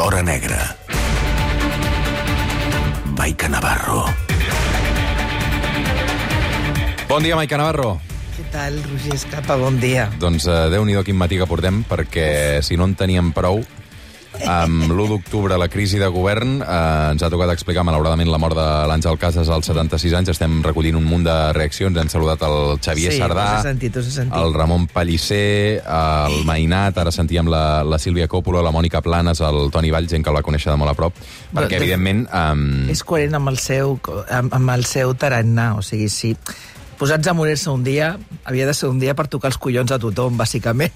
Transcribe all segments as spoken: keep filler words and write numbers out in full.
l'hora negra. Maica Navarro. Bon dia, Maica Navarro. Què tal, Roger Escapa? Bon dia. Doncs uh, Déu-n'hi-do quin matí que portem, perquè si no en teníem prou, amb l'u d'octubre, la crisi de govern, eh, ens ha tocat explicar, malauradament, la mort de l'Àngel Casas als setanta-sis anys. Estem recollint un munt de reaccions. Hem saludat el Xavier sí, Sardà, sentit, el Ramon Pellicer, el Mainat, ara sentíem la, la Sílvia Coppola, la Mònica Planes, el Toni Vall, gent que el va conèixer de molt a prop, perquè, de, evidentment... Um... És coherent amb el seu, amb, amb el seu tarannà, o sigui, sí. Posats a morir-se un dia, havia de ser un dia per tocar els collons a tothom, bàsicament,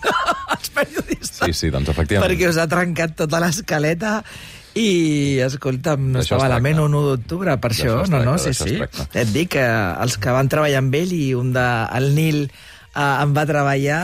els periodistes. Sí, sí, doncs efectivament. Perquè us ha trencat tota l'escaleta i, escolta'm, no estava a la ment un u d'octubre, per això, no, no, sí, sí. Et dic que els que van treballar amb ell i un de, el Nil eh, en va treballar...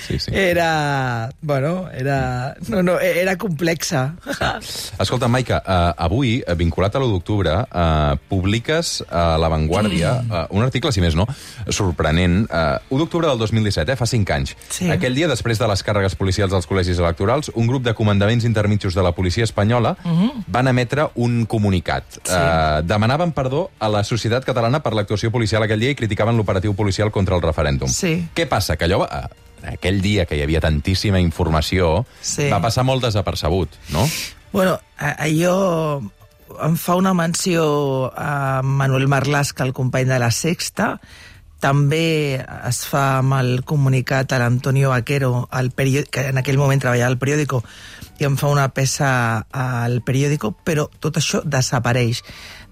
Sí, sí. Era... Bueno, era... No, no, era complexa. Sí. Escolta, Maica, uh, avui, vinculat a l'u d'octubre, uh, publiques a La Vanguardia uh, un article, si més no, sorprenent. Uh, u d'octubre del dos mil disset, eh, fa cinc anys. Sí. Aquell dia, després de les càrregues policials dels col·legis electorals, un grup de comandaments intermitjos de la policia espanyola uh -huh. van emetre un comunicat. Sí. Uh, demanaven perdó a la societat catalana per l'actuació policial aquell dia i criticaven l'operatiu policial contra el referèndum. Sí. Què passa? Que allò... Uh, aquell dia que hi havia tantíssima informació, sí. va passar molt desapercebut, no? Bueno, allò em fa una menció a Manuel Marlaska, el company de La Sexta. També es fa amb el comunicat a l'Antonio Vaquero, el que en aquell moment treballava al periòdico, i em fa una peça al periòdico, però tot això desapareix.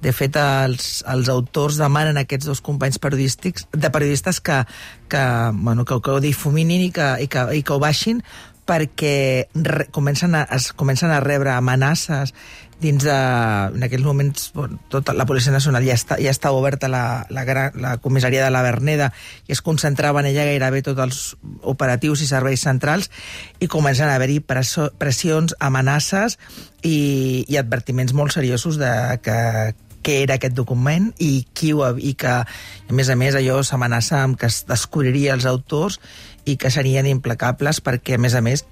De fet, els, els autors demanen a aquests dos companys periodístics, de periodistes que, que, bueno, que, que ho difuminin i que, i que, i que ho baixin, perquè re, comencen, a, es comencen a rebre amenaces dins de... En aquells moments, bueno, tota la Policia Nacional ja, està, ja estava oberta la, la, la comissaria de la Verneda i es concentrava en ella gairebé tots els operatius i serveis centrals i comencen a haver-hi pressions, amenaces i, i advertiments molt seriosos de que què era aquest document i qui ho havia, i que, a més a més, allò s'amenaça amb que es descobriria els autors i que serien implacables perquè, a més a més,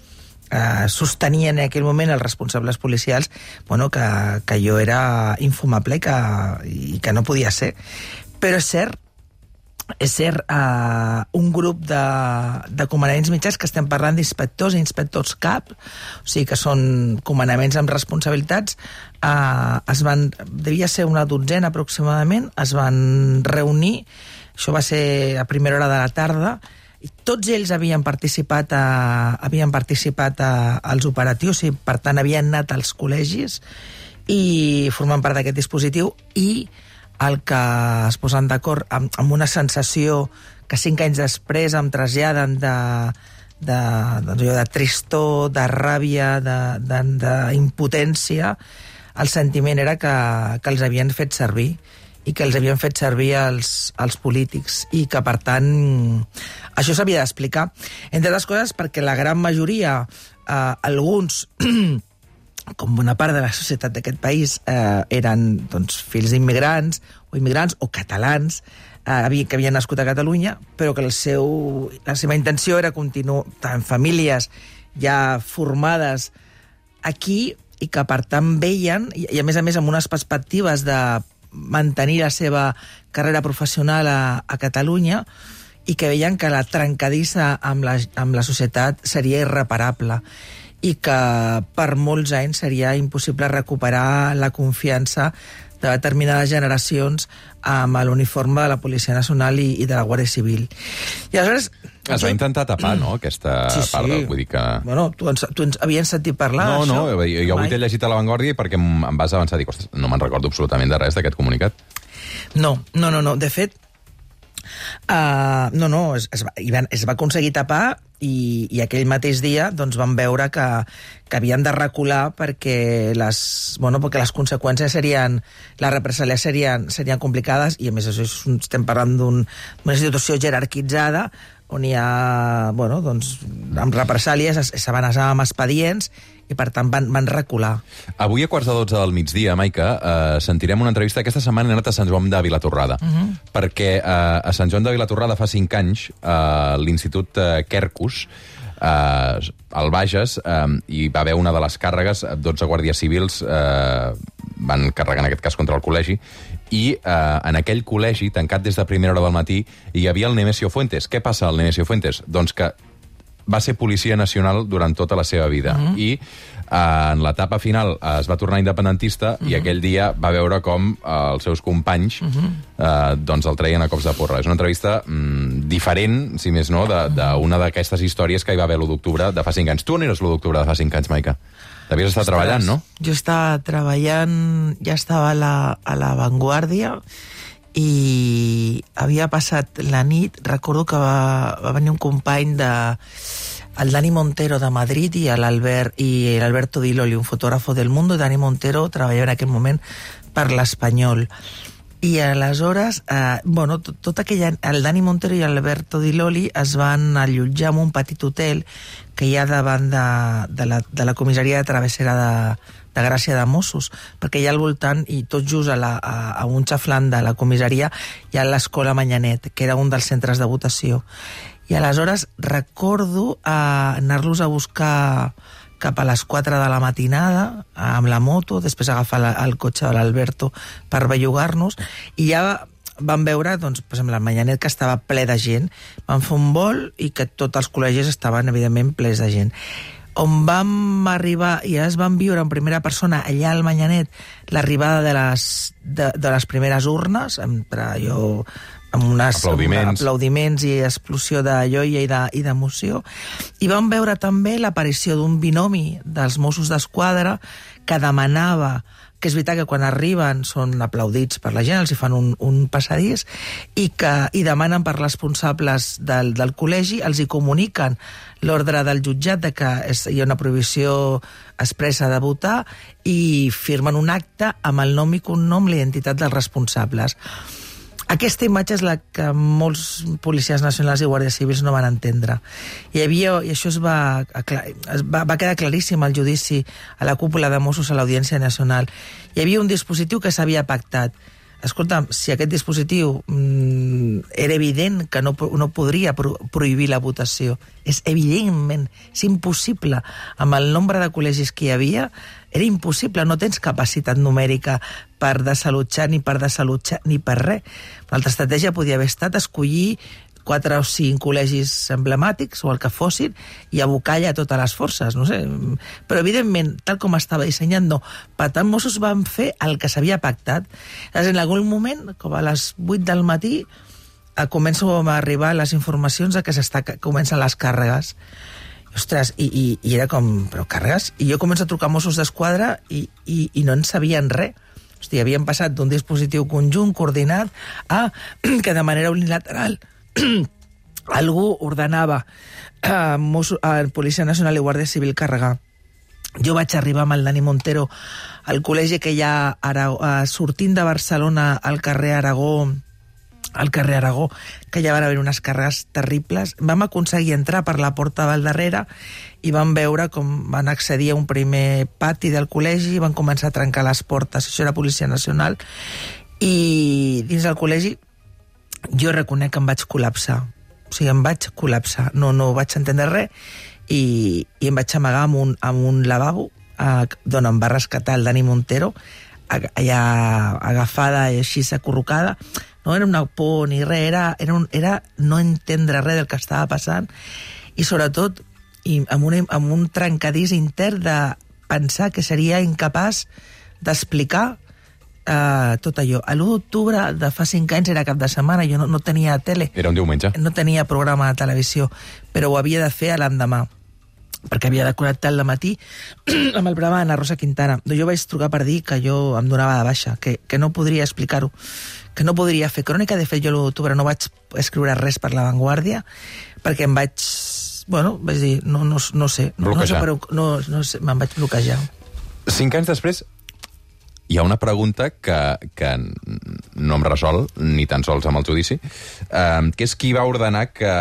eh, sostenien en aquell moment els responsables policials bueno, que, que allò era infumable i que, i que no podia ser. Però és cert, és cert, eh, un grup de, de comandaments mitjans que estem parlant d'inspectors i inspectors cap, o sigui que són comandaments amb responsabilitats, eh, es van, devia ser una dotzena aproximadament, es van reunir, això va ser a primera hora de la tarda, i tots ells havien participat, a, havien participat a, als operatius i per tant havien anat als col·legis i formen part d'aquest dispositiu i el que es posen d'acord amb, amb una sensació que cinc anys després em traslladen de, de, de, de, de tristor, de ràbia, d'impotència. El sentiment era que, que els havien fet servir i que els havien fet servir els, els polítics i que, per tant, això s'havia d'explicar. Entre altres coses, perquè la gran majoria, eh, alguns... com una part de la societat d'aquest país eh, eren doncs, fills d'immigrants o immigrants o catalans eh, que havien nascut a Catalunya, però que el seu, la seva intenció era continuar en famílies ja formades aquí i que per tant veien, i, i a més a més amb unes perspectives de mantenir la seva carrera professional a, a Catalunya i que veien que la trencadissa amb la, amb la societat seria irreparable i que per molts anys seria impossible recuperar la confiança de determinades generacions amb l'uniforme de la Policia Nacional i, i de la Guàrdia Civil. I aleshores... Es va intentar tapar, no?, aquesta sí, sí. part. Vull dir que... Bueno, tu ens, tu ens havies sentit parlar no, d'això? No, no, jo, jo avui t'he llegit a La Vanguardia perquè em, em vas avançar a dir, ostres, no me'n recordo absolutament de res d'aquest comunicat. No, no, no, no. De fet, uh, no, no, es, es, va, es va aconseguir tapar i, i aquell mateix dia doncs, vam veure que, que havien de recular perquè les, bueno, perquè les conseqüències serien, les represàlies serien, serien complicades i a més això estem parlant d'una un, institució jerarquitzada on hi ha, bueno, doncs, amb represàlies s'avançava amb expedients i per tant van, van recular. Avui a quarts de dotze del migdia, Maica, eh, sentirem una entrevista. Aquesta setmana he anat a Sant Joan de Vilatorrada, uh -huh. perquè eh, a Sant Joan de Vilatorrada fa cinc anys eh, l'Institut eh, Quercus eh, al Bages, eh, hi va haver una de les càrregues, dotze guàrdies civils eh, van carregar en aquest cas contra el col·legi, i eh, en aquell col·legi, tancat des de primera hora del matí, hi havia el Nemesio Fuentes. Què passa al Nemesio Fuentes? Doncs que va ser policia nacional durant tota la seva vida. Uh-huh. I eh, en l'etapa final eh, es va tornar independentista uh-huh. i aquell dia va veure com eh, els seus companys uh-huh. eh, doncs el treien a cops de porra. És una entrevista mm, diferent, si més no, d'una d'aquestes històries que hi va haver l'u d'octubre de fa cinc anys. Tu on eres l'u d'octubre de fa cinc anys, Maica? Devies estar treballant, no? Jo estava treballant, ja estava a la, a la Vanguardia i havia passat la nit. Recordo que va, va venir un company de el Dani Montero de Madrid i l'Albert i l'Alberto Di Loli, un fotògrafo del Mundo. Dani Montero treballava en aquell moment per l'Espanyol. I aleshores, eh, bueno, tot, tot aquella, el Dani Montero i l'Alberto Di Loli es van allotjar en un petit hotel que hi ha davant de, de, la, de la comissaria de travessera de, de Gràcia de Mossos, perquè hi ha al voltant, i tot just a, la, a, a un xaflant de la comissaria, hi ha l'Escola Manyanet, que era un dels centres de votació. I aleshores recordo eh, anar-los a buscar cap a les quatre de la matinada, amb la moto, després agafar la, el cotxe de l'Alberto per bellugar-nos, i ja vam veure, doncs, per exemple, el Manyanet, que estava ple de gent, vam fer un vol i que tots els col·legis estaven, evidentment, plens de gent. On vam arribar, i ja es van viure en primera persona, allà al Manyanet, l'arribada de les, de, de les primeres urnes, entre jo... amb unes aplaudiments. aplaudiments i explosió de joia i d'emoció. I vam veure també l'aparició d'un binomi dels Mossos d'Esquadra que demanava, que és veritat que quan arriben són aplaudits per la gent, els hi fan un, un passadís, i que i demanen per responsables del, del col·legi, els hi comuniquen l'ordre del jutjat de que és, hi ha una prohibició expressa de votar, i firmen un acte amb el nom i cognom, l'identitat dels responsables. Aquesta imatge és la que molts policies nacionals i guàrdies civils no van entendre. Hi havia, i això es va, es va, va quedar claríssim al judici a la cúpula de Mossos a l'Audiència Nacional. Hi havia un dispositiu que s'havia pactat. Escolta'm, si aquest dispositiu mm, era evident que no, no podria pro, prohibir la votació, és evidentment, és impossible. Amb el nombre de col·legis que hi havia, era impossible, no tens capacitat numèrica per desallotjar ni per desallotjar ni per res. L'altra estratègia podia haver estat escollir quatre o cinc col·legis emblemàtics o el que fossin i abocar allà totes les forces, no sé. Però evidentment, tal com estava dissenyat, no. Per tant, Mossos van fer el que s'havia pactat. En algun moment, com a les vuit del matí, comencen a arribar les informacions de que s'està, comencen les càrregues. Ostres, i, i, i era com, però càrregues? I jo començo a trucar a Mossos d'Esquadra i, i, i no en sabien res. Hosti, havien passat d'un dispositiu conjunt, coordinat, a que de manera unilateral algú ordenava a, Mossos, a Policia Nacional i Guàrdia Civil carregar. Jo vaig arribar amb el Dani Montero al col·legi que hi ha ara, sortint de Barcelona al carrer Aragó, al carrer Aragó, que ja van haver unes càrregues terribles. Vam aconseguir entrar per la porta del darrere i vam veure com van accedir a un primer pati del col·legi i van començar a trencar les portes. Això era Policia Nacional. I dins del col·legi jo reconec que em vaig col·lapsar. O sigui, em vaig col·lapsar. No, no vaig entendre res i, i em vaig amagar amb un, amb un lavabo eh, d'on em va rescatar el Dani Montero, allà agafada i així acurrucada. No era una por ni res, era, era, un, era no entendre res del que estava passant i sobretot i amb, una, amb un trencadís intern de pensar que seria incapaç d'explicar Uh, tot allò. L'u d'octubre de fa cinc anys era cap de setmana, jo no, no tenia tele. Era un diumenge. No tenia programa de televisió, però ho havia de fer a l'endemà, perquè havia de connectar al matí amb el programa d'Anna Rosa Quintana. Jo vaig trucar per dir que jo em donava de baixa, que, que no podria explicar-ho, que no podria fer crònica. De fet, jo l'u d'octubre no vaig escriure res per La Vanguardia, perquè em vaig... Bueno, vaig dir, no, no, no sé. No, no, sé, però, no, no sé, me'n vaig bloquejar. Cinc anys després, hi ha una pregunta que, que no em resol, ni tan sols amb el judici, eh, que és qui va ordenar que,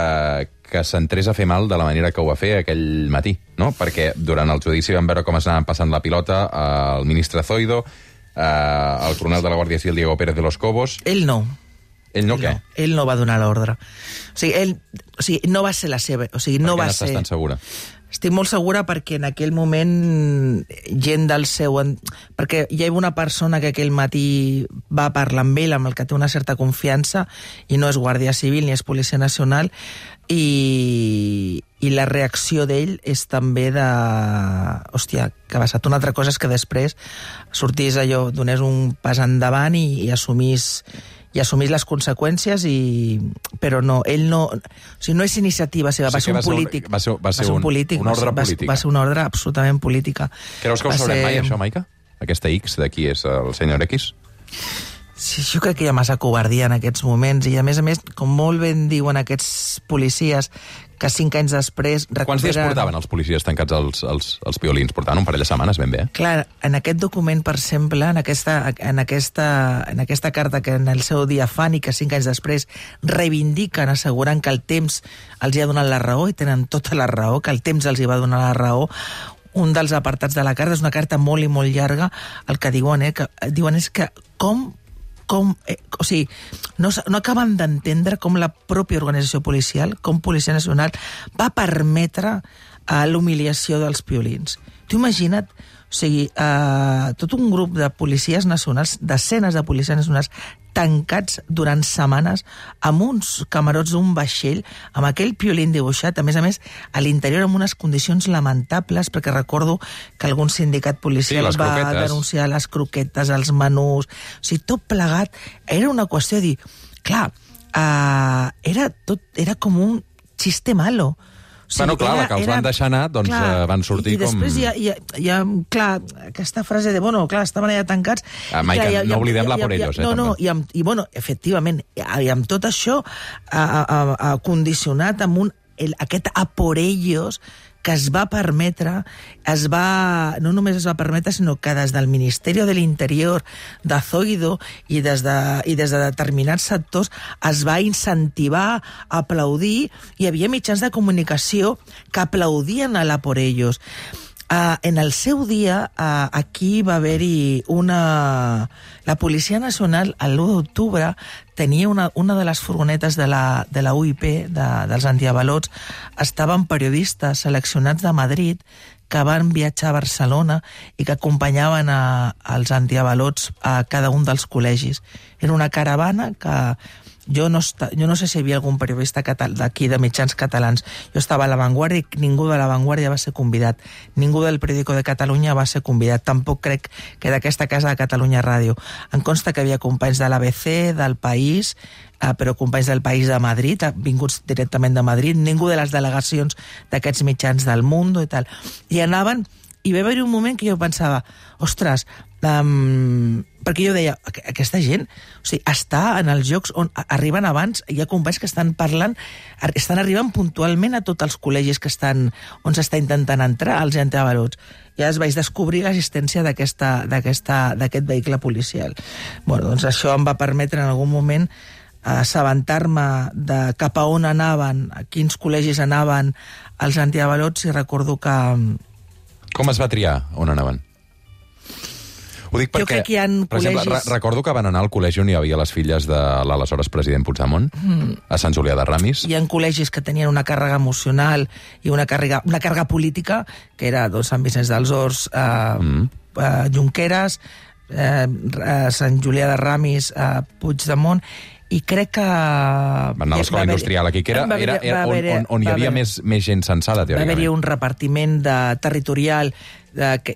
que s'entrés a fer mal de la manera que ho va fer aquell matí, no? Perquè durant el judici vam veure com es anaven passant la pilota al ministre Zoido, eh, el coronel de la Guàrdia Civil, Diego Pérez de los Cobos... Ell no. Ell no ell què? No, ell no va donar l'ordre. O sigui, ell, o sigui, no va ser la seva... O sigui, no per va què n'estàs ser... tan segura? Estic molt segura perquè en aquell moment gent del seu... Perquè hi ha una persona que aquell matí va parlar amb ell, amb el que té una certa confiança, i no és Guàrdia Civil ni és Policia Nacional, i, i la reacció d'ell és també de... Hòstia, que ha passat. Una altra cosa és que després sortís allò, donés un pas endavant i, i assumís... i assumís les conseqüències, i... però no, ell no... O sigui, no és iniciativa seva, O sigui va ser un va ser un- polític. va ser- va ser un- polític, una ordre va, política. Va ser una ordre absolutament política. Creus que ho Va sabrem ser- mai, això, Maica? Aquesta X de qui és el senyor X? Sí, jo crec que hi ha massa covardia en aquests moments, i a més a més, com molt ben diuen aquests policies, que cinc anys després... Quants dies portaven els policies tancats als, als, als violins? Portaven un parell de setmanes, ben bé. Clar, en aquest document, per exemple, en aquesta, en, aquesta, en aquesta carta que en el seu dia fan i que cinc anys després reivindiquen, assegurant que el temps els hi ha donat la raó, i tenen tota la raó, que el temps els hi va donar la raó, un dels apartats de la carta, és una carta molt i molt llarga, el que diuen, eh, que, diuen és que com com, eh, o sigui, no, no acaben d'entendre com la pròpia organització policial, com Policia Nacional, va permetre eh, l'humiliació dels piolins. Tu imagina't, o sigui, eh, tot un grup de policies nacionals, desenes de policies nacionals, tancats durant setmanes amb uns camarots d'un vaixell, amb aquell piolín dibuixat, a més a més, a l'interior amb unes condicions lamentables, perquè recordo que algun sindicat policial Sí, les va croquetes. denunciar les croquetes, els menús... O sigui, tot plegat. Era una qüestió de dir... Clar, uh, era, tot, era com un xiste malo. O Bueno, clar, la que els van deixar anar, doncs, eh, van sortir i, i després com- hi ha, hi, ha, hi ha, clar, aquesta frase de, bueno, clar, estaven allà tancats... Ah, i Maica, clar, hi ha- no hi ha- oblidem la hi ha- por hi ha- ellos, eh, No, no, també. i, amb, i bueno, efectivament, i, i amb tot això a, a, a, condicionat amb un, el, aquest a por ellos que es va permetre, es va, no només es va permetre, sinó que des del Ministeri de l'Interior, de Zoido i des de, i des de determinats sectors es va incentivar, aplaudir, hi havia mitjans de comunicació que aplaudien a la por ellos. Uh, en el seu dia, uh, aquí va haver-hi una... La Policia Nacional, l'u d'octubre, tenia una, una de les furgonetes de la, de la U I P, de, dels antiavalots, estaven periodistes seleccionats de Madrid que van viatjar a Barcelona i que acompanyaven a, als antiavalots a cada un dels col·legis. Era una caravana que... Jo no, esta, jo no sé si hi havia algun periodista d'aquí, de mitjans catalans. Jo estava a La Vanguardia i ningú de La Vanguardia va ser convidat. Ningú del Periódico de Catalunya va ser convidat. Tampoc crec que d'aquesta casa de Catalunya Ràdio. Em consta que havia companys de l'A B C, del País, eh, però companys del País de Madrid, vinguts directament de Madrid, ningú de les delegacions d'aquests mitjans del Mundo i tal. I anaven, i va haver-hi un moment que jo pensava, ostres, um, perquè jo deia, aquesta gent, o sigui, està en els llocs on arriben abans, hi ha companys que estan parlant, estan arribant puntualment a tots els col·legis que estan, on s'està intentant entrar, als antiavalots. Ja es vaig descobrir l'existència d'aquesta, d'aquesta, d'aquest vehicle policial. Bueno, doncs això em va permetre en algun moment assabentar-me de cap a on anaven, a quins col·legis anaven els antiavalots, i recordo que... Com es va triar on anaven? Ho dic perquè, jo crec que hi ha per col·legis... exemple, re recordo que van anar al col·legi on hi havia les filles de l'aleshores president Puigdemont, mm. a Sant Julià de Ramis. Hi ha col·legis que tenien una càrrega emocional i una càrrega, una càrrega política, que era doncs, Sant Vicenç dels Horts, eh, mm. eh, Junqueras, eh, Sant Julià de Ramis, eh, Puigdemont, i crec que... Van anar a l'escola industrial aquí, que era, era, era on, on, on hi havia més, més gent censada, teòricament. Va haver-hi un repartiment de, territorial de, que,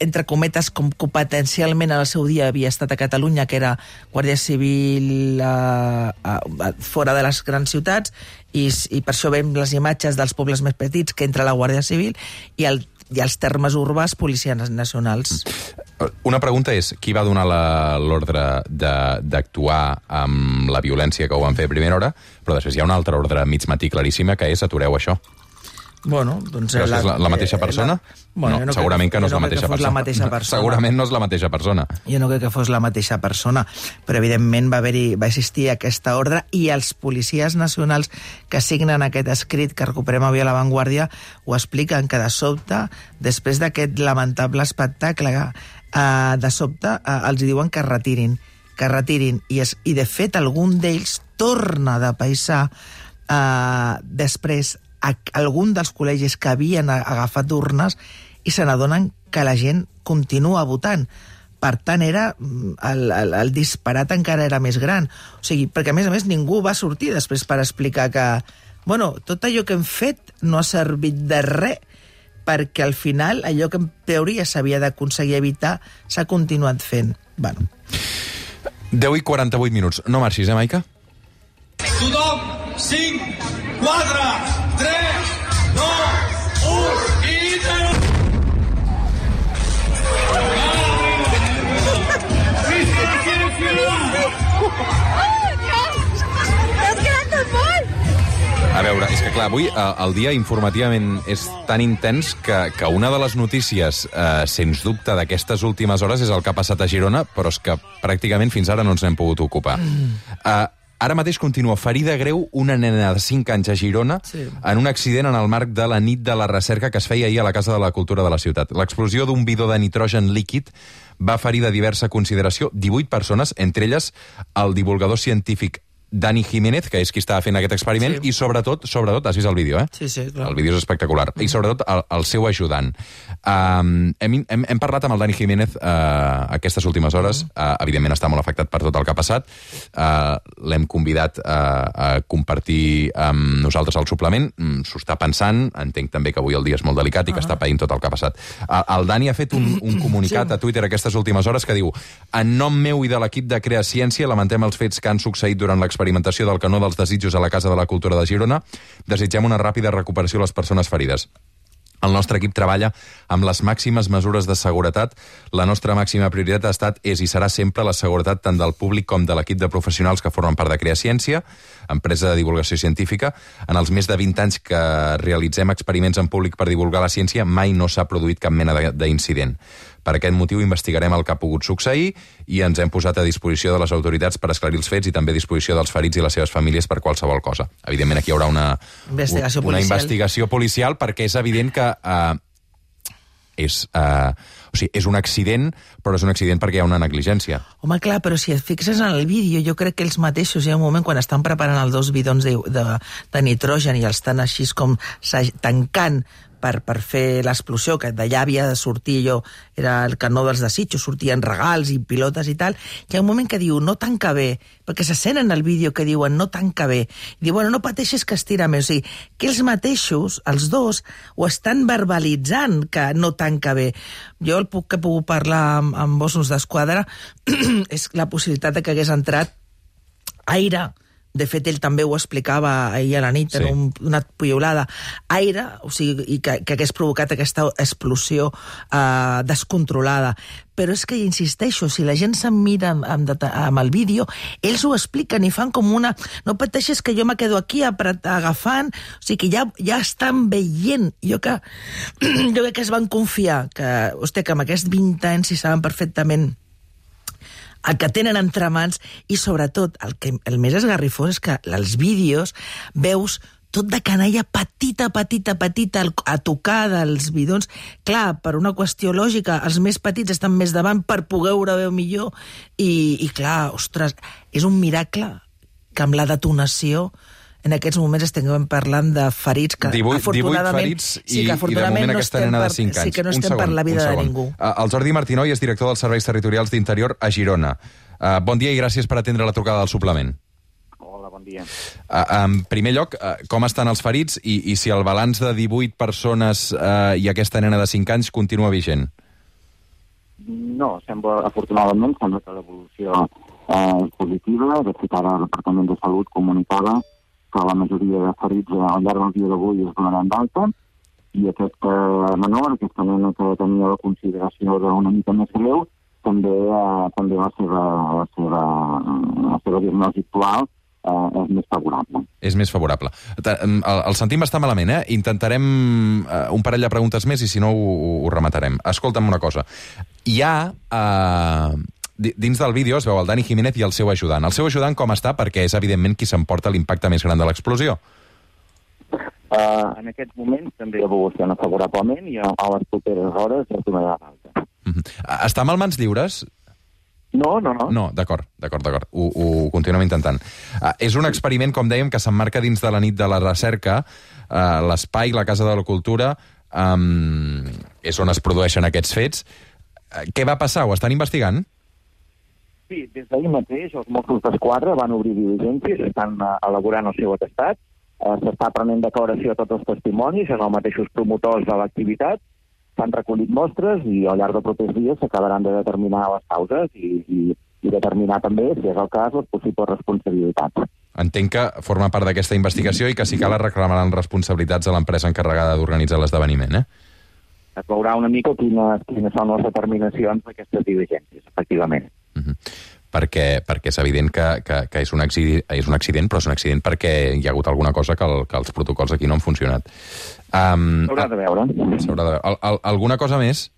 entre cometes, com competencialment en el seu dia havia estat a Catalunya, que era Guàrdia Civil a, a, a, fora de les grans ciutats, i, i per això veiem les imatges dels pobles més petits que entra la Guàrdia Civil, i, el, i els termes urbans policies nacionals. Una pregunta és, qui va donar l'ordre d'actuar amb la violència que ho van fer a primera hora, però després hi ha una altra ordre mig matí claríssima, que és atureu això. Bueno, doncs... Però la, és la, la mateixa persona? La, bueno, no, no segurament que no és no la mateixa persona. La mateixa persona. Segurament no és la mateixa persona. Jo no crec que fos la mateixa persona, però evidentment va haver-hi, va existir aquesta ordre, i els policies nacionals que signen aquest escrit que recuperem avui a La Vanguardia ho expliquen, que de sobte, després d'aquest lamentable espectacle, eh, de sobte eh, els diuen que es retirin. que retirin. I, es, i de fet, algun d'ells torna de paisà eh, després a algun dels col·legis que havien agafat urnes i se n'adonen que la gent continua votant. Per tant, era el, el, el disparat encara era més gran. O sigui, perquè, a més a més, ningú va sortir després per explicar que, bueno, tot allò que hem fet no ha servit de res, perquè al final allò que en teoria s'havia d'aconseguir evitar s'ha continuat fent. Bueno. deu i quaranta-vuit minuts. No marxis, eh, Maica? Tothom, cinc, quatre, tres, dos, un, i zero. A veure, és que clar, avui eh, el dia informativament és tan intens que, que una de les notícies, eh, sens dubte, d'aquestes últimes hores és el que ha passat a Girona, però és que pràcticament fins ara no ens n'hem pogut ocupar. Mm. Eh, ara mateix continua ferida greu una nena de cinc anys a Girona sí. en un accident en el marc de la nit de la recerca que es feia ahir a la Casa de la Cultura de la ciutat. L'explosió d'un bidó de nitrogen líquid va ferir de diversa consideració divuit persones, entre elles el divulgador científic Dani Jiménez, que és qui estava fent aquest experiment, sí. i sobretot, sobretot, has vist el vídeo, eh? Sí, sí, clar. El vídeo és espectacular. Mm. I sobretot el, el seu ajudant. Um, hem, hem, hem parlat amb el Dani Jiménez uh, aquestes últimes hores. Mm. Uh, evidentment està molt afectat per tot el que ha passat. Uh, L'hem convidat uh, a compartir amb nosaltres el suplement. Mm, S'ho està pensant. Entenc també que avui el dia és molt delicat i que ah. està païnt tot el que ha passat. Uh, el Dani ha fet un, un comunicat sí. a Twitter aquestes últimes hores que diu: en nom meu i de l'equip de Crea Ciència lamentem els fets que han succeït durant l'experiment experimentació del canó dels desitjos a la Casa de la Cultura de Girona. Desitgem una ràpida recuperació a les persones ferides. El nostre equip treballa amb les màximes mesures de seguretat. La nostra màxima prioritat ha estat, és i serà sempre la seguretat tant del públic com de l'equip de professionals que formen part de Crea Ciència, empresa de divulgació científica. En els més de vint anys que realitzem experiments en públic per divulgar la ciència, mai no s'ha produït cap mena d'incident. Per aquest motiu investigarem el que ha pogut succeir i ens hem posat a disposició de les autoritats per esclarir els fets i també a disposició dels ferits i les seves famílies per qualsevol cosa. Evidentment aquí hi haurà una investigació una policial, investigació policial perquè és evident que uh, és, uh, o sigui, és un accident, però és un accident perquè hi ha una negligència. Home, clar, però si et fixes en el vídeo, jo crec que ells mateixos, hi ha un moment quan estan preparant els dos bidons de, de, de nitrogen i els estan així com tancant per, per fer l'explosió, que d'allà havia de sortir allò, era el canó dels desitjos, sortien regals i pilotes i tal, hi ha un moment que diu, no tanca bé, perquè se sent en el vídeo que diuen, no tanca bé, i diu, bueno, no pateixis que estira més, o sigui, que ells mateixos, els dos, ho estan verbalitzant que no tanca bé. Jo el puc que he pogut parlar amb, amb Mossos d'Esquadra és la possibilitat de que hagués entrat aire. De fet, ell també ho explicava ahir a la nit, sí. en un, una piolada, aire, o sigui, i que, que hagués provocat aquesta explosió eh, descontrolada. Però és que, insisteixo, si la gent se'n mira amb, amb, amb el vídeo, ells ho expliquen i fan com una... No pateixis que jo me quedo aquí agafant... O sigui, que ja, ja estan veient. Jo que, jo crec que es van confiar, que, hòstia, que amb aquests vint anys si saben perfectament el que tenen entre mans, i sobretot el que el més esgarrifós és que els vídeos veus tot de canalla petita, petita, petita a tocar dels bidons. Clar, per una qüestió lògica, els més petits estan més davant per poder veure millor i, i clar, ostres, és un miracle que amb la detonació en aquests moments estem parlant de ferits que divuit, afortunadament, divuit ferits i, sí, que afortunadament i de moment no aquesta nena de cinc anys. Sí que no un estem segon, per la vida de ningú. Uh, el Jordi Martinoy és director dels Serveis Territorials d'Interior a Girona. Uh, bon dia i gràcies per atendre la trucada del suplement. Hola, bon dia. Uh, en primer lloc, uh, com estan els ferits i, i si el balanç de divuit persones uh, i aquesta nena de cinc anys continua vigent? No, sembla, afortunadament, sembla que l'evolució eh, és positiva. De fet, ara el Departament de Salut comunicava que la majoria de ferits al llarg del dia d'avui es donaran d'alta, i aquest eh, menor, aquesta nena que tenia la consideració d'una mica més greu, també, eh, també la, seva, la, seva, la seva diagnosi actual eh, és més favorable. És més favorable. El, el sentim bastant malament, eh? Intentarem eh, un parell de preguntes més i si no ho, ho rematarem. Escolta'm una cosa. Hi ha... Eh... Dins del vídeo es veu el Dani Jiménez i el seu ajudant. El seu ajudant com està? Perquè és, evidentment, qui s'emporta l'impacte més gran de l'explosió. Uh, en aquests moments també evoluciona favorablement i a, a les properes hores ja tornarà d'alta. Uh-huh. Està amb mans lliures? No, no, no. No, d'acord, d'acord, d'acord. Ho, ho continuem intentant. Uh, és un experiment, com dèiem, que s'emmarca dins de la nit de la recerca. Uh, L'espai, la Casa de la Cultura, um, és on es produeixen aquests fets. Uh, què va passar? Ho estan investigant? Sí, des d'ahir mateix els Mossos d'Esquadra van obrir diligències, estan uh, elaborant el seu atestat, uh, s'està prenent declaració a tots els testimonis, en els mateixos promotors de l'activitat, s'han recollit mostres i al llarg dels propers dies s'acabaran de determinar les causes i, i, i determinar també, si és el cas, les possibles responsabilitats. Entenc que forma part d'aquesta investigació i que si cal es reclamaran responsabilitats a l'empresa encarregada d'organitzar l'esdeveniment, eh? Es veurà una mica quines, quines són les determinacions d'aquestes diligències, efectivament. Uh-huh. Perquè, perquè és evident que, que, que és, un accident, és un accident, però és un accident perquè hi ha hagut alguna cosa que, el, que els protocols aquí no han funcionat. Um, S'haurà de veure. S'haurà de veure. Al, al, alguna cosa més?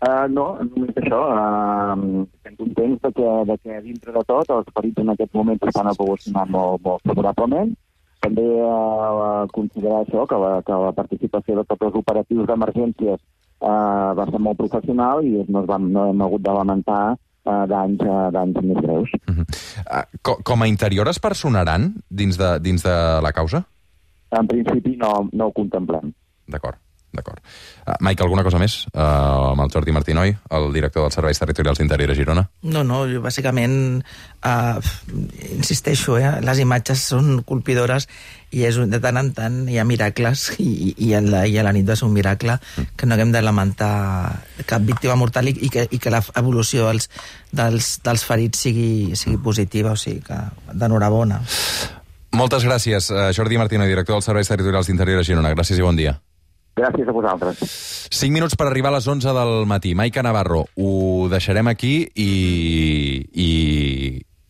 Uh, no, només això. Uh, estem contents de que, de que dintre de tot els ferits en aquest moment estan evolucionant molt, molt favorablement. També uh, considerar això, que la, que la participació de tots els operatius d'emergències uh, va ser molt professional i no, es van, no hem hagut de lamentar uh, danys, uh, danys més greus. Uh-huh. uh, com, com a interior es personaran dins de, dins de la causa? En principi no, no ho contemplem. D'acord, d'acord. Uh, Mike, alguna cosa més? Uh, amb el Jordi Martinoy, el director dels Serveis Territorials d'Interior a Girona? No, no, jo bàsicament uh, insisteixo, eh, les imatges són colpidores i és, de tant en tant hi ha miracles i, i, a, la, i a la nit va ser un miracle mm. que no haguem de lamentar cap víctima mortal i, i, que, i que l'evolució dels, dels, dels ferits sigui, sigui positiva, o sigui que d'enhorabona. Moltes gràcies, Jordi Martinoy, director dels Serveis Territorials d'Interior a Girona. Gràcies i bon dia. Gràcies a vosaltres. Cinc minuts per arribar a les onze del matí. Maica Navarro, ho deixarem aquí i, i,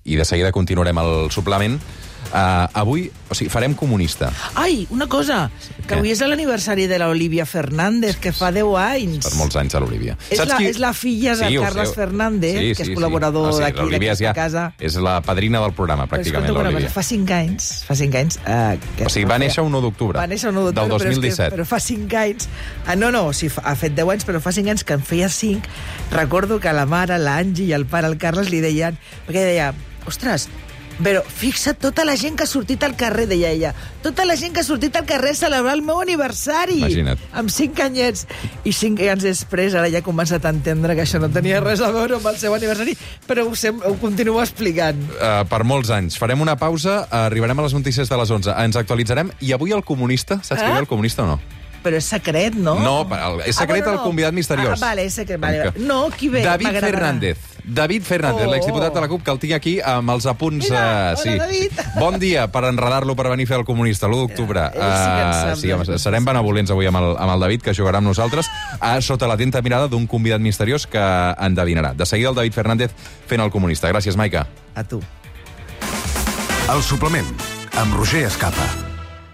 i de seguida continuarem el suplement. Uh, avui, o sigui, farem comunista. Ai, una cosa, que Què? avui és l'aniversari de l'Olivia Fernández, que fa deu anys. Per molts anys a l'Olivia. És la, qui... és la filla de sí, Carles sé. Fernández, sí, que és sí, col·laborador sí. No, sí, d'aquí, d'aquesta ja casa. És la padrina del programa, pràcticament, l'Olivia. Fa cinc anys, fa cinc anys... Uh, que o sigui, va néixer un u d'octubre. Va néixer un u d'octubre, del dos mil disset. Però, però fa cinc anys... Uh, no, no, o sigui, ha fet deu anys, però fa cinc anys que en feia cinc. Recordo que la mare, l'Angi i el pare, el Carles, li deien... Perquè deia, ostres, però fixa't tota la gent que ha sortit al carrer, deia ella. Tota la gent que ha sortit al carrer a celebrar el meu aniversari. Imagina't. Amb cinc anyets. I cinc anys després, ara ja ha començat a entendre que això no tenia res a veure amb el seu aniversari, però ho, sem- ho continuo explicant. Uh, per molts anys. Farem una pausa, uh, arribarem a les notícies de les onze. Ens actualitzarem. I avui el comunista, saps qui Eh? ve el comunista o no? Però és secret, no? No, el- és secret Ah, bueno, el no. convidat misteriós. Ah, vale, és secret. Vale. Que- No, qui ve? David M'agradarà. Fernández. David Fernández, Oh. l'exdiputat de la CUP, que el tinc aquí amb els apunts... Mira, eh, hola, sí. David. Bon dia per enredar-lo per venir a fer el comunista, l'u d'octubre. Ell sí que en sap, Uh, sí, home, doncs. serem benevolents avui amb el, amb el David, que jugarà amb nosaltres, a sota l'atenta mirada d'un convidat misteriós que endevinarà. De seguida el David Fernández fent el comunista. Gràcies, Maica. A tu. El suplement, amb Roger Escapa.